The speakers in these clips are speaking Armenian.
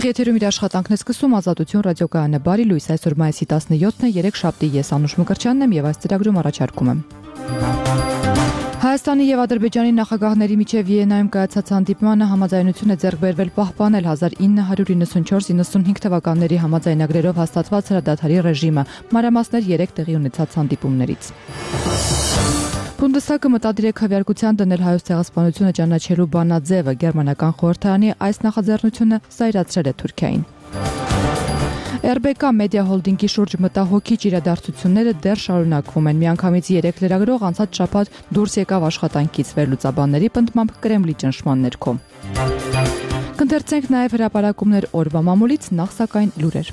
Ուղիղ եթերում իր աշխատանքն է սկսում Ազատություն ռադիոկայանը բարի լույս այսօր մայիսի 17-ն է 3 շաբթի ես Անուշ Մկրտչյանն եմ եւ այս ծրագրում առաջարկում եմ Հայաստանի եւ Ադրբեջանի նախագահների միջև Վիեննայում կայացած հանդիպմանը համաձայնություն է ձեռք բերվել պահպանել 1994-95 թվականների համաձայնագրերով հաստատված հրադադարի ռեժիմը մանրամասներ 3 տեղի ունեցած հանդիպումներից Բունդեսթագը մտադիր է քվեարկության դնել հայոց ցեղասպանությունը ճանաչելու բանաձևը գերմանական խորհրդարանի այս նախաձեռնությունը զայրացրել է Թուրքիային RBK մեդիա հոլդինգի շուրջ մտահոգիչ իրադարձությունները դեռ շարունակվում են միանգամից 3 լրագրող անցած շաբաթ դուրս եկավ աշխատանքից վերլուծաբանների պնդմամբ Կրեմլի ճնշման ներքո Կընթերցենք նաև հրապարակումներ օրվա մամուլից նախ սակայն լուրեր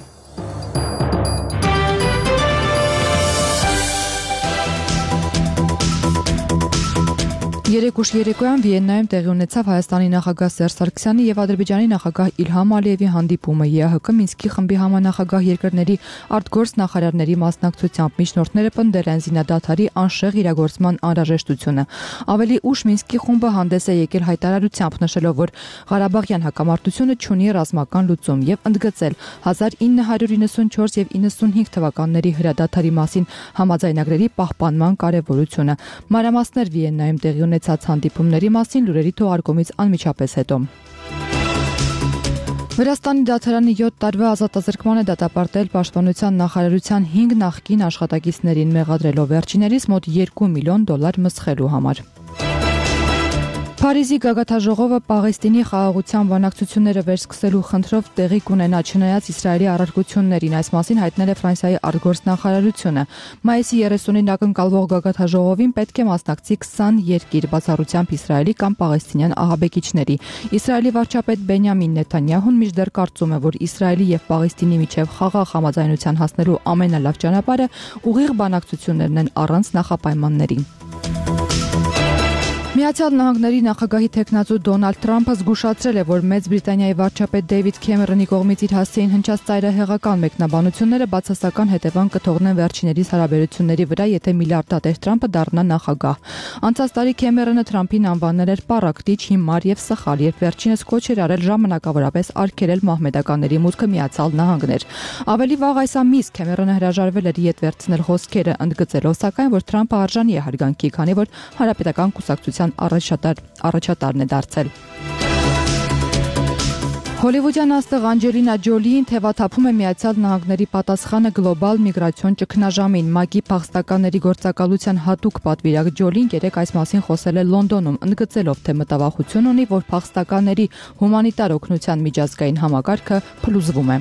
Երեկուշ երեկոյան Վիեննայում տեղի ունեցավ Հայաստանի նախագահ Սերժ Սարգսյանի եւ Ադրբեջանի նախագահ Իլհամ Ալիևի հանդիպումը ԵԱՀԿ Մինսկի խմբի համանախագահ երկրների արտգործ նախարարների մասնակցությամբ միջնորդները պնդել են զինադադարի անշեղ իրագործման անհրաժեշտությունը։ Ավելի ուշ Մինսկի խումբը հանդես է եկել հայտարարությամբ նշելով, որ Ղարաբաղյան հակամարտությունը չունի ռազմական լուծում եւ ընդգծել 1994 եւ 95 թվականների հրադադարի մասին համաձայնագրերի պահպանման կարեւորությունը։ Մանրամասներ Վիեննայում տեղի ունեցած հանդիպումների մասին լուրերի թողարկումից անմիջապես հետո Վրաստանի դատարանի 7 տարվա ազատազրկման է դատապարտել Պաշտպանության նախարարության 5 նախկին աշխատակիցներին մեղադրելով վերջիներիս մոտ $2 միլիոն մսխելու համար Փարիզի գագաթաժողովը Պաղեստինի խաղաղության բանակցությունները վերսկսելու խնդրով տեղի կունենա չնայած Իսրայելի առարկություններին այս մասին հայտնել է Ֆրանսիայի արտգործ նախարարությունը Մայիսի 30-ին ակնկալվող գագաթաժողովին պետք է մասնակցի 20 երկիր բացառությամբ Իսրայելի կամ պաղեստինյան ահաբեկիչների Իսրայելի վարչապետ Բենյամին Նեթանյահուն մինչդեռ կարծում է որ Իսրայելի եւ Պաղեստինի միջև խաղաղ համաձայնության հասնելու ամենալավ ճանապարհը ուղիղ բանակցություններն են առանց նախապայմանների Միացյալ Նահանգների նախագահի տեխնացու Դոնալդ Թրամփը զգուշացրել է, որ Մեծ Բրիտանիայի վարչապետ Դեյվիդ Քեմերոնի կողմից իր հասցեին հնչած ծայրահեղական մեկնաբանությունները բացասական հետևանք կթողնեն վերջիներիս հարաբերությունների վրա, եթե միլիարդատեր Թրամփը դառնա նախագահ։ Անցած տարի Քեմերոնը Թրամփին անվանել էր պառակտիչ, հիմար եւ սխալ, երբ վերջինս կոչ էր արել ժամանակավորապես արգելել մահմեդականների մուտքը Միացյալ Նահանգներ։ Ավելի վաղ այս ամիս Քեմերոնը հրաժարվել էր ետ վերցնել խոսքերը, ընդգծելով սակայն, որ Թրամփը արժանի է հարգանքի, քանի որ Հանրապետական կուսակցության առաջատարն է դարձել։ Հոլիվուդյան աստղ Անջելինա Ջոլիին թևաթափում է Միացյալ Նահանգների պատասխանը գլոբալ միգրացիոն ճգնաժամին։ ՄԱԿ-ի փախստականների գործակալության հատուկ պատվիրակ Ջոլին երեկ այս մասին խոսել է Լոնդոնում, ընդգծելով, թե մտավախություն ունի, որ փախստականների հումանիտար օգնության միջազգային համակարգը փլուզվում է։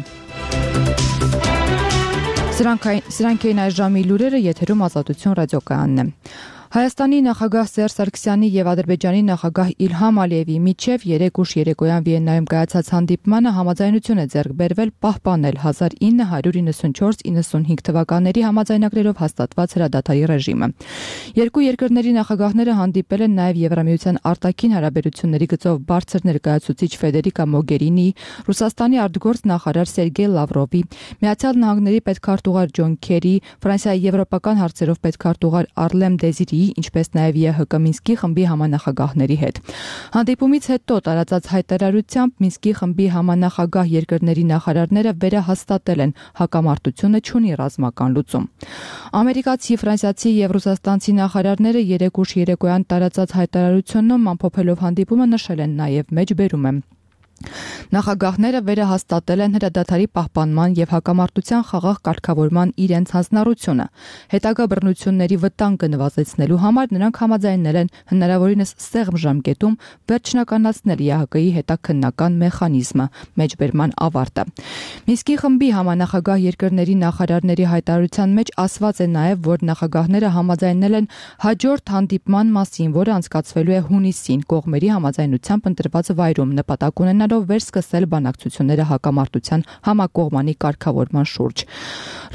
Սրանք էին այս ժամի լուրերը, եթերում Ազատություն ռադիոկայանն է։ Հայաստանի նախագահ Սերժ Սարգսյանի եւ Ադրբեջանի նախագահ Իլհամ Ալիևի միջև երեկուշ երեկոյան Վիեննայում կայացած հանդիպմանը համաձայնություն է ձեռք բերվել պահպանել 1994-95 թվականների համաձայնագրերով հաստատված հրադադարի ռեժիմը։ Երկու երկրների նախագահները հանդիպել են նաեւ Եվրամիության արտաքին հարաբերությունների գծով բարձր ներկայացուցիչ Ֆեդերիկա Մոգերինի, Ռուսաստանի արտգործ նախարար Սերգեյ Լավրովի, Միացյալ Նահանգների պետքարտուղար Ջոն Քերի, Ֆրանսիայի եվրոպական հարցերով պետքարտուղար Արլեմ Դեզիրի ինչպես նաև ԵԱՀԿ Մինսկի խմբի համանախագահների հետ։ Հանդիպումից հետո տարածած հայտարարությամբ Մինսկի խմբի համանախագահ երկրների նախարարները վերահաստատել են հակամարտությունը չունի ռազմական լուծում։ Ամերիկացի, ֆրանսիացի եւ ռուսաստանցի նախարարները երեկուշ երեկոյան տարածած հայտարարությունում ամփոփելով հանդիպումը նշել են նաև մեջբերում եմ Նախագահները վերահաստատել են հրադադարի պահպանման եւ հակամարտության խաղաղ կարգավորման իրենց հանձնառությունը։ Հետագա բռնությունների վտանգը նվազեցնելու համար նրանք համաձայնել են հնարավորինս սեղմ ժամկետում վերջնականացնել ԵԱՀԿ-ի հետաքննական մեխանիզմը մեջբերման ավարտը։ Մինսկի խմբի համանախագահ երկրների նախարարների հայտարարության մեջ ասված է նաեւ, որ նախագահները համաձայնել են հաջորդ հանդիպման մասին, որը անցկացվելու է հունիսին կողմերի համաձայնությամբ ընտրված վայրում նպատակ ունենալով վերսկսել բանակցությունները հակամարտության համակողմանի կարգավորման շուրջ։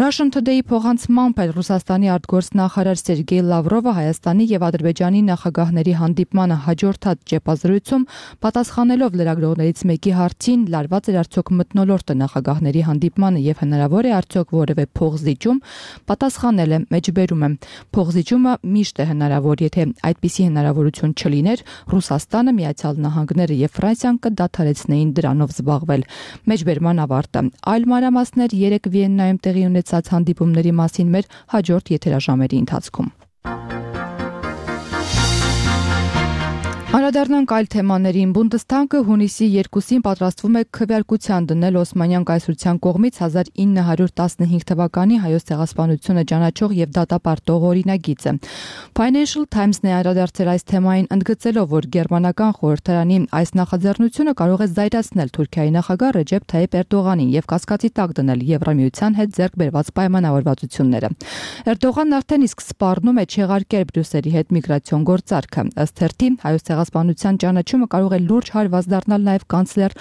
Russian Today-ի փոխանցմամբ Ռուսաստանի արտգործ նախարար Սերգեյ Լավրովը Հայաստանի եւ Ադրբեջանի նախագահների հանդիպմանը հաջորդած ճեպազրույցում պատասխանելով լրագրողներից մեկի հարցին լարված էր արդյոք մթնոլորտը նախագահների հանդիպմանը եւ հնարավոր է արդյոք որևէ փոխզիջում, պատասխանել է մեջբերում եմ փոխզիջումը միշտ է հնարավոր, եթե այդպիսի հնարավորություն չլիներ, Ռուսաստանը, Միացյալ Նահանգները եւ Ֆրանսիան կդադարեցնեին դրա դրանով զբաղվել։ Մեջբերման ավարտը։ Այլ մանրամասներ 3 Վիեննայում տեղի ունեցած հանդիպումների մասին մեր հաջորդ եթերաժամերի ընթացքում։ Անդրադառնանք այլ թեմաներին։ Բունդեսթագը հունիսի 2-ին պատրաստվում է քվեարկության դնել Օսմանյան կայսրության կողմից 1915 թվականի հայոց ցեղասպանությունը ճանաչող եւ դատապարտող օրինագիծը։ Financial Times-ն է անդրադարձել այս թեմային, ընդգծելով, որ գերմանական խորհրդարանի այս նախաձեռնությունը կարող է զայրացնել Թուրքիայի նախագահ Ռեջեփ Թայիփ Էրդողանին եւ կասկածի տակ դնել Եվրամիության հետ ձեռք բերված պայմանավորվածությունները։ Էրդողանն արդեն իսկ սպառնում է չեղարկել Բրյուսելի հետ միգրացիոն գործարքը։ Ըստ թերթի հայոց ցեղասպանության ճանաչումը կարող է լուրջ հարված դառնալ նաև կանցլեր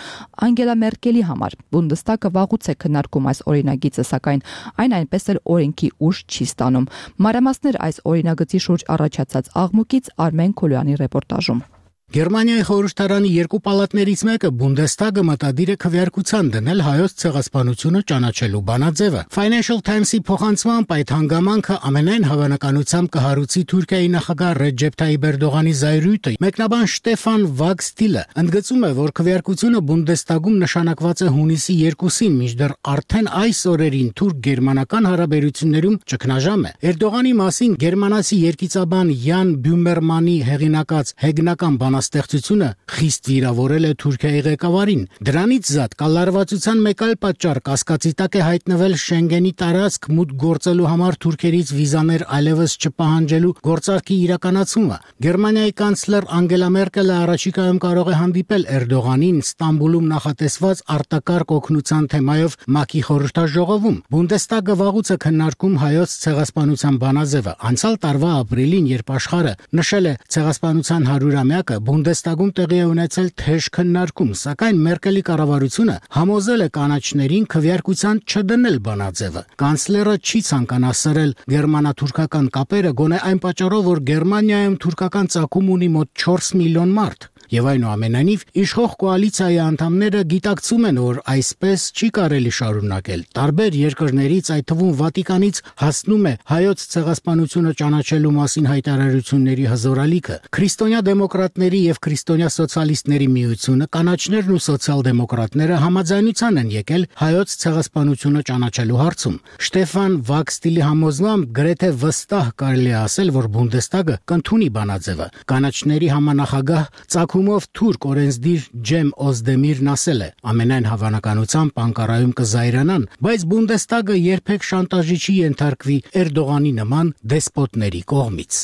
Անգելա Մերկելի համար։ Բունդեսթագը վաղուց է քննարկում այս օրինագիծը, սակայն այն այնպես էլ օրենքի ուժ չի ստանում։ Մանրամասներ այս օրինագծի շուրջ առաջացած աղմուկից Արմեն Քոլյանի ռեպորտաժում։ Գերմանիայի խորհրդարանի երկու պալատներից մեկը Բունդեսթագը մտադիր է քվեարկության դնել հայոց ցեղասպանությունը ճանաչելու բանաձևը։ Financial Times-ի փոխանցմամբ այդ հանգամանքը ամենայն հավանականությամբ կհարուցի Թուրքիայի նախագահ Ռեջեփ Թայիփ Էրդողանի զայրույթը։ Մեկնաբան Շտեֆան Վագստիլը ընդգծում է, որ քվեարկությունը Բունդեսթագում նշանակված է հունիսի 2-ին, մինչդեռ արդեն այս օրերին թուրք-գերմանական հարաբերություններում ճգնաժամ է։ Էրդողանի մասին գերմանացի երգիծաբան Յան Բյումերմանի հեղինակած հեգնական ստեղծությունը խիստ վիրավորել է Թուրքիայի ղեկավարին։ Դրանից զատ կալարվածության մեկ այլ պատճառ կասկածի տակ է հայտնվել Շենգենի տարածք մուտք գործելու համար թուրքերից վիզաներ այլևս չպահանջելու գործարքի իրականացումը։ Գերմանիայի կանցլեր Անգելա Մերկելը առաջիկայում կարող է հանդիպել Էրդողանին Ստամբուլում նախատեսված արտակարգ օգնության թեմայով ՄԱԿ-ի խորհրդաժողովում։ Բունդեսթագը վաղուց է քննարկում հայոց ցեղասպանության բանաձևը։ Անցյալ տարվա ապրիլին, երբ աշխարհը նշել է ցեղասպանության 100-ամյակը, Բունդեսթագում տեղի է ունեցել թեժ քննարկում, սակայն Մերկելի կառավարությունը համոզել է կանաչներին քվեարկության չդնել բանաձևը։ Կանցլերը չի ցանկանա սրել գերմանա-թուրքական կապերը գոնե այն պատճառով, որ Գերմանիայում թուրքական ծագում ունի մոտ 4 միլիոն մարդ։ Եվ այնուամենայնիվ իշխող կոալիցիայի անդամները գիտակցում են, որ այսպես չի կարելի շարունակել։ Տարբեր երկրներից, այդ թվում Վատիկանից, հասնում է հայոց ցեղասպանությունը ճանաչելու մասին հայտարարությունների հզորալիքը։ Քրիստոնյա դեմոկրատների եւ քրիստոնյա սոցիալիստների միությունը, կանաչներն ու սոցիալ-դեմոկրատները համաձայնության են եկել հայոց ցեղասպանությունը ճանաչելու հարցում։ Շտեֆան Վագստիլի համոզմամբ գրեթե վստահ կարելի է ասել, որ Բունդեսթագը կընդունի բանաձևը։ Կանաչների համանախագահ Ծագումով թուրք օրենսդիր Ջեմ Օզդեմիրն ասել է. ամենայն հավանականությամբ Անկարայում կզայրանան, բայց Բունդեսթագը երբեք շանտաժի չի ենթարկվի Էրդողանի նման դեսպոտների կողմից։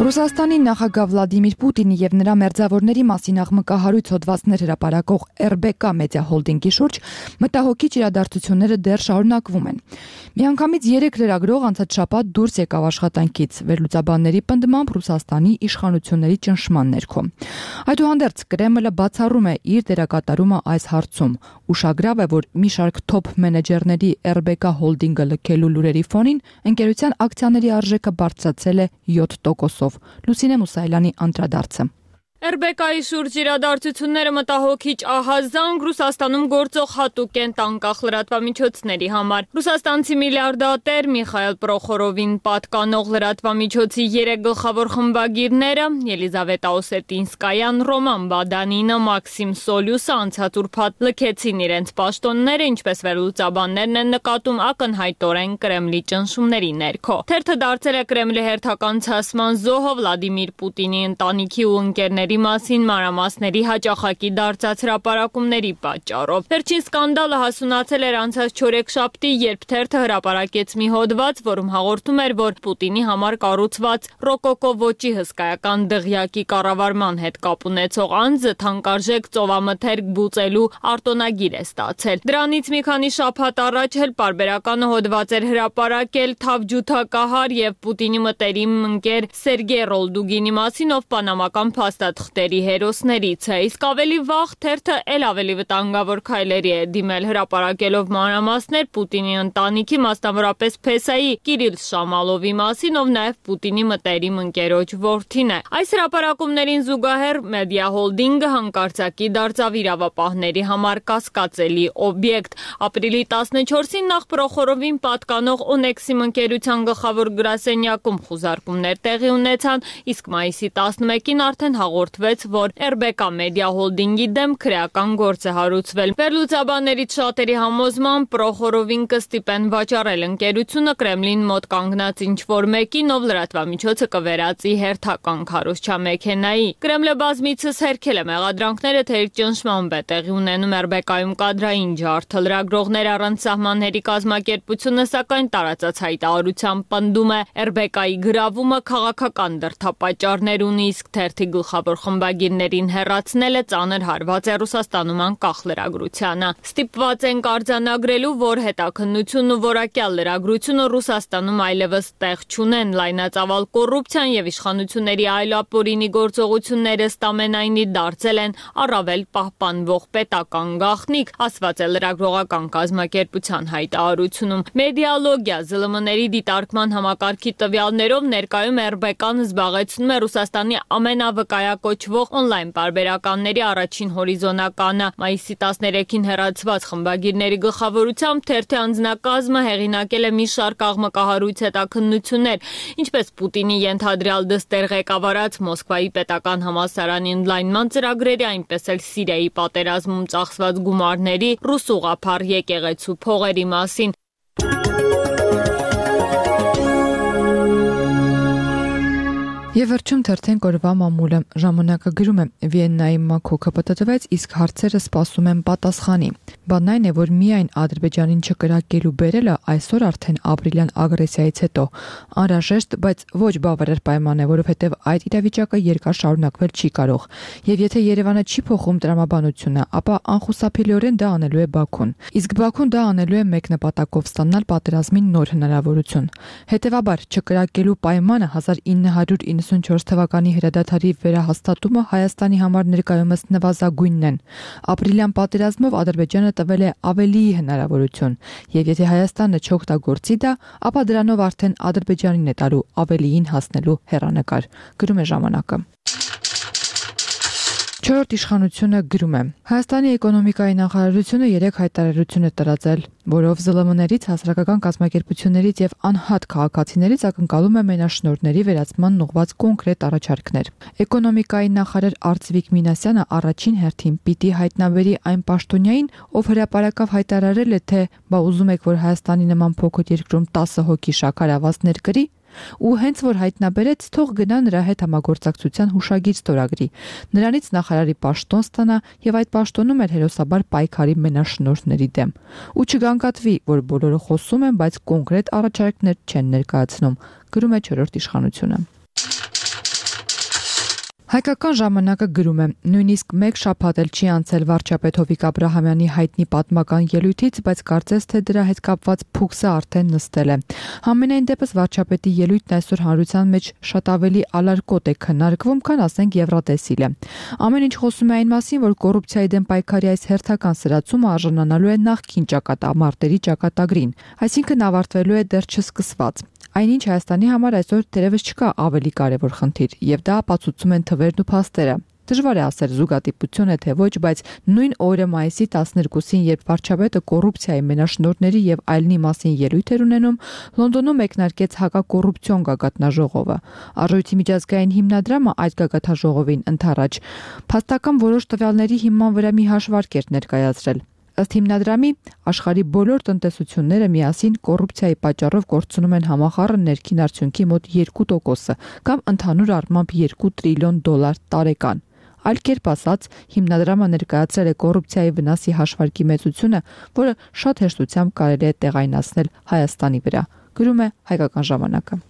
Ռուսաստանի նախագահ Վլադիմիր Պուտինի եւ նրա մերձավորների մասին աղմկահարույց հոդվածներ հրապարակող RBK մեդիա հոլդինգի շուրջ մտահոգիչ իրադարձությունները դեռ շարունակվում են։ Միանգամից 3 լրագրող անցած շաբաթ դուրս եկավ աշխատանքից վերլուծաբանների պնդմամբ Ռուսաստանի իշխանությունների ճնշման ներքո։ Այդուհանդերձ Կրեմլը բացառում է իր դերակատարումը այս հարցում։ Ուշագրավ է, որ մի շարք թոփ մենեջերների RBK հոլդինգը լքելու լուրերի ֆոնին ընկերության ակցիաների արժեքը բարձրացել է 7%-ով։ Լուսինե Մուսայելյանի անդրադարձը։ RBK-ի շուրջ իրադարձությունները մտահոգիչ ահազանգ Ռուսաստանում գործող հատուկ են տանկախ լրատվամիջոցների համար։ Ռուսաստանցի միլիարդատեր Միխայել Պրոխորովին պատկանող լրատվամիջոցի 3 գլխավոր խմբագիրները Ելիզավետա Օսետինսկայան, Ռոման Բադանինը, Մաքսիմ Սոլյուսը անցած ուրբաթ լքեցին իրենց պաշտոնները, ինչպես վերլուծաբաններն են նկատում ակնհայտորեն Կրեմլի ճնշումների ներքո։ Թերթը դարձել է Կրեմլի հերթական ցասման զոհը Վլադիմիր Պուտինի ընտանիքի ու ընկերների մասին մանրամասների հաճախակի դարձած հրապարակումների պատճառով։ Վերջին սկանդալը հասունացել էր անցած չորեքշաբթի, երբ թերթը հրապարակեց մի հոդված, որում հաղորդում էր, որ Պուտինի համար կառուցված ռոկոկո ոճի հսկայական դղյակի կառավարման հետ կապ ունեցող անձը թանկարժեք ծովամթերք բուծելու արտոնագիր է ստացել։ Դրանից մի քանի շաբաթ առաջ էլ պարբերականը հոդված էր հրապարակել թավջութակահար եւ Պուտինի մտերիմ ընկեր Սերգեյ Ռոլդուգինի մասին, ով պանամական փաստաթղթերի հերոսներից է, իսկ ավելի վաղ թերթը էլ ավելի վտանգավոր քայլերի է դիմել հրապարակելով մանրամասներ Պուտինի ընտանիքի, մասնավորապես Փեսայի Կիրիլ Շամալովի մասին, ով նաև Պուտինի մտերիմ ընկերոջ որդին է։ Այս հրապարակումներին զուգահեռ մեդիա հոլդինգը հանկարծակի դարձավ իրավապահների համար կասկածելի օբյեկտ։ Ապրիլի 14-ին նախ Պրոխորովին պատկանող Օնեքսիմ ընկերության գլխավոր գրասենյակում խուզարկումներ տեղի ունեցան, իսկ մայիսի 11-ին արդեն հաղորդվեց, որ RBK Media Holding-ի դեմ քրեական գործ է հարուցվել։ Վերլուծաբաններից շատերի համոզմամբ Պրոխորովին կստիպեն վաճառել ընկերությունը Կրեմլին մոտ կանգնած ինչ-որ մեկին, ով լրատվամիջոցը կվերածի հերթական քարոզչամեքենայի։ Կրեմլը բազմիցս հերքել է մեղադրանքները, թե իր ճնշմամբ է տեղի ունենում RBK-ում կադրային ջարդը։ Լրագրողներ առանց սահմանների կազմակերպությունը սակայն տարածած հայտարարությամբ պնդում է RBK-ի գրավումը քաղաքական դրդապատճառներ ունի, իսկ թերթի գլխավոր խմբագիրներին հեռացնելը ծանր հարված է Ռուսաստանում անկախ լրագրությանը։ Ստիպված ենք արձանագրելու, որ հետաքննությունն ու որակյալ լրագրությունը Ռուսաստանում այլևս տեղ չունեն, լայնածավալ կոռուպցիան եւ իշխանությունների այլ ապօրինի գործողությունները ստամենայնի դարձել են առավել պահպանվող պետական գաղտնիք, ասված է լրագրողական կազմակերպության հայտարարությունում։ Մեդիալոգիա ԶԼՄ-ների դիտարկման համակարգի տվյալներով ներկայում RBK-ն զբաղեցնում է Ռուսաստանի ամենավկայակոչվող օնլայն պարբերականների առաջին հորիզոնականը։ Մայիսի 13-ին հեռացված խմբագիրների գլխավորությամբ թերթի անձնակազմը հեղինակել է մի շարք աղմկահարույց հետաքննություններ, ինչպես Պուտինի ենթադրյալ դստեր ղեկավարած Մոսկվայի պետական համալսարանի ընդլայնման ծրագրերի, այնպես էլ Սիրիայի պատերազմում ծախսված գումարների, ռուս ուղղափառ եկեղեցու փողերի մասին։ Եվ վերջում թերթենք օրվա մամուլը։ Ժամանակը գրում է. Վիեննայի մաքոքը պատտվեց, իսկ հարցերը սպասում են պատասխանի։ Բանն այն է, որ միայն Ադրբեջանին չկրակելու բերելը այսօր արդեն ապրիլյան ագրեսիայից հետո անհրաժեշտ, բայց ոչ բավարար պայման է, որովհետև այդ իրավիճակը երկար շարունակվել չի կարող։ Եվ եթե Երևանը չի փոխում տրամաբանությունը, ապա անխուսափելիորեն դա անելու է Բաքուն։ Իսկ Բաքուն դա անելու է մեկ նպատակով՝ ստանալ պատերազմի նոր հնարավորություն։ Հետևաբար, չկրակելու պայմանը 1994 թվականի հրադադարի վերահաստատումը Հայաստանի համար ներկայումս նվազագույնն են։ Ապրիլյան պատերազմով Ադրբեջանը տվել է ավելի հնարավորություն, եւ եթե Հայաստանը չօգտագործի դա, ապա դրանով արդեն Ադրբեջանին է տալու ավելիին հասնելու հեռանկար, գրում է ժամանակը։ Չորրորդ իշխանությունը գրում է. Հայաստանի էկոնոմիկայի նախարարությունը 3 հայտարարություն է տարածել, որով ԶԼՄ-ներից, հասարակական կազմակերպություններից եւ անհատ քաղաքացիներից ակնկալում է մենաշնորհների վերացման ուղղված կոնկրետ առաջարկներ։ Էկոնոմիկայի նախարար Արծվիկ Մինասյանը առաջին հերթին պիտի հայտնաբերի այն պաշտոնյային, ով հրապարակավ հայտարարել է, թե բա ուզում եք, որ Հայաստանի նման փոքր երկրում 10 հոգի շաքարավազներ կրի, ու հենց որ հայտնաբերեց, թող գնա նրա հետ համագործակցության հուշագիր ստորագրի, նրանից նախարարի պաշտոն ստանա եւ այդ պաշտոնում էլ հերոսաբար պայքարի մենաշնորհների դեմ։ Ու չգանգատվի, որ բոլորը խոսում են, բայց կոնկրետ առաջարկներ չեն ներկայացնում, գրում է չորրորդ իշխանությունը։ Հայկական ժամանակը գրում է. նույնիսկ մեկ շաբաթ էլ չի անցել վարչապետ Հովիկ Աբրահամյանի հայտնի պատմական ելույթից, բայց կարծես թե դրա հետ կապված փուքսը արդեն նստել է։ Համենայն դեպս վարչապետի ելույթն այսօր հանրության մեջ շատ ավելի ալարկոտ է քննարկվում, քան ասենք Եվրատեսիլը։ Ամեն ինչ խոսում է այն մասին, որ կոռուպցիայի դեմ պայքարի այս հերթական սրացումը արժանանալու է նախկին ճակատամարտերի ճակատագրին, այսինքն ավարտվելու է դեռ չսկսված։ Այնինչ Հայաստանի համար այսօր դերևս չկա ավելի կարևոր խնդիր, եւ դա ապացուցում են թվերն ու փաստերը։ Դժվար է ասել զուգադիպություն է թե ոչ, բայց նույն օրը մայիսի 12-ին, երբ վարչապետը կոռուպցիայի մենաշնորհների եւ այլնի մասին ելույթ էր ունենում, Լոնդոնում մեկնարկեց հակակոռուպցիոն գագաթնաժողովը։ Արժույթի միջազգային հիմնադրամը այդ գագաթնաժողովին ընդառաջ փաստական որոշ տվյալների հիման վրա մի հաշվարկ էր ներկայացրել։ Ըստ հիմնադրամի, աշխարհի բոլոր տնտեսությունները միասին կոռուպցիայի պատճառով կորցնում են համախառն ներքին արդյունքի մոտ 2% կամ ընդհանուր առմամբ $2 տրիլիոն տարեկան։ Այլ կերպ ասած, հիմնադրամը ներկայացրել է կոռուպցիայի վնասի հաշվարկի մեծությունը, որը շատ հեշտությամբ կարելի է տեղայնացնել Հայաստանի վրա, գրում է Հայկական ժամանակը։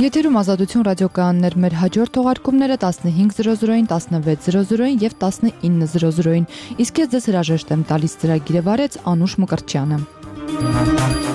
Եթերում Ազատություն ռադիոկայաններ, մեր հաջորդ թողարկումները 15:00-ին, 16:00-ին եւ 19:00-ին։ Իսկ ես ձեզ հրաժեշտ եմ տալիս, ծրագիրը վարեց Անուշ Մկրտչյանը։